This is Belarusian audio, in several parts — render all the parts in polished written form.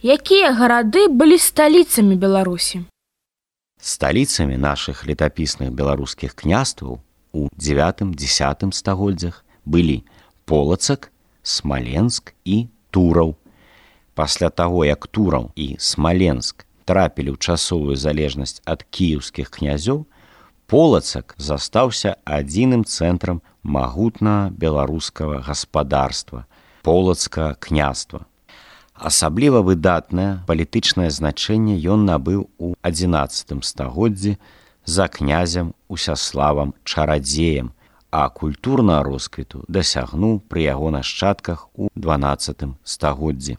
Якія гарады былі сталіцамі Беларусі? Сталіцамі нашых летапісных беларускіх княстваў у 9-10 стагоддзях былі Полацак, Смаленск і Тураў. Пасля таго, як Тураў і Смаленск трапілі ў часовую залежнасць ад кіеўскіх князёў, Полацак застаўся адзіным цэнтрам магутнага беларускага гаспадарства – Полацкага княства. Асабліва выдатнае палітычнае значэнне ён набыў у 11 стагоддзі за князем Усяславам Чарадзеем, а культурнага росквіту дасягнуў пры яго нашчадках у 12 стагоддзі.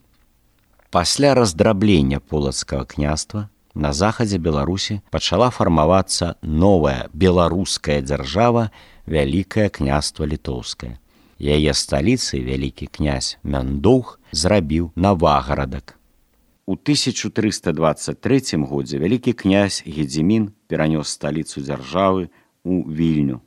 Пасля раздраблення Полацкага княства на захадзе Беларусі пачала фармавацца новая беларуская дзяржава Вялікае княства Літоўскае. Яе сталіцай вялікі князь Мяндоўг зрабіў Навагарадак. У 1323 годзе вялікі князь Гедзімін перанёс сталіцу дзяржавы ў Вільню.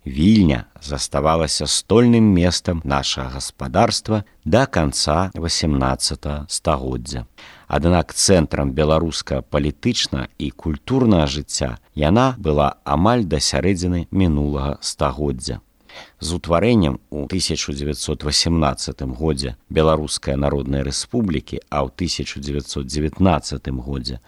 Вільня заставалася стольным месцам нашага гаспадарства да канца 18 стагоддзя. Аднак цэнтрам беларускага палітычнага і культурнага жыцця яна была амаль да сярэдзіны мінулага стагоддзя. З утварэннем у 1918 годзе Беларускай Народнай Рэспублікі, а ў 1919 годзе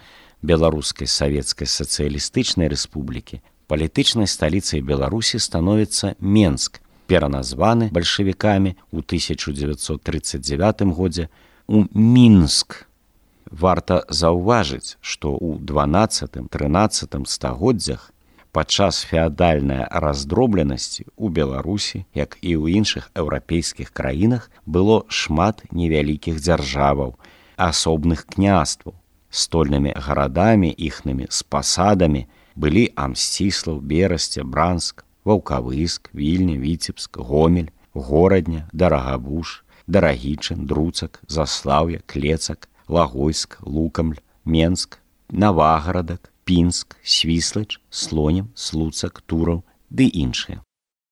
Беларускай Савецкай Сацыялістычнай Рэспублікі палітычнай сталіцай Беларусі становіцца Менск, пераназваны бальшавікамі ў 1939 годзе у Мінск. Варта заўважыць, што ў 12-13 стагоддзях падчас феадальнай раздробленасці ў Беларусі, як і ў іншых еўрапейскіх краінах, было шмат невялікіх дзяржаваў, асобных княстваў. Стольнымі гарадамі іхнымі з пасадамі былі Амсціслаў, Берасце, Бранск, Ваўкавыск, Вільня, Віцебск, Гомель, Горадня, Дарагабуш, Дарагічын, Друцак, Заслаўе, Клецак, Лагойск, Лукамль, Менск, Навагарадак, Пінск, Свіслач, Слонім, Слуцак, Тураў ды іншыя.